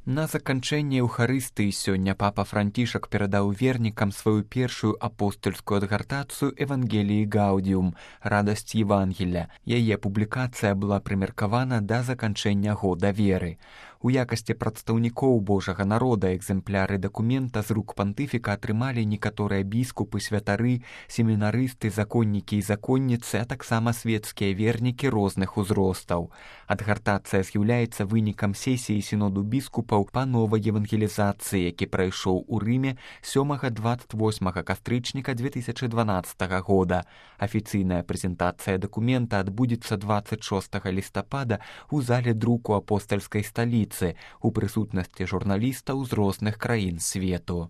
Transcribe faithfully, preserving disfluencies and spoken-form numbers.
На заканчэнне эўхарыстыі сёння папа Францішак перадаў вернікам сваю першую апостольскую адгартацыю Евангеліі Гаудіум «Радасць Евангеля». Яе публікацыя была прымеркавана да заканчэння года веры. У якасці прадстаўнікоў Божага народа экземпляры дакумента з рук пантыфіка атрымалі некаторыя біскупы, святары, семінарысты, законнікі і законніцы, а таксама светскія вернікі розных узростаў. Адгартацыя з'яўляецца вынікам сесіі сіноду біскупаў па новай евангелізацыі, які прайшоў у Рыме сёмага дваццаць восьмага кастрычніка дзве тысячы дванаццатага года. Афіцыйная прэзентацыя дакумента адбудзецца дваццаць шостага лістапада ў зале друку апостальскай сталіцы у прысутнасці журналістаў з розных краін свету.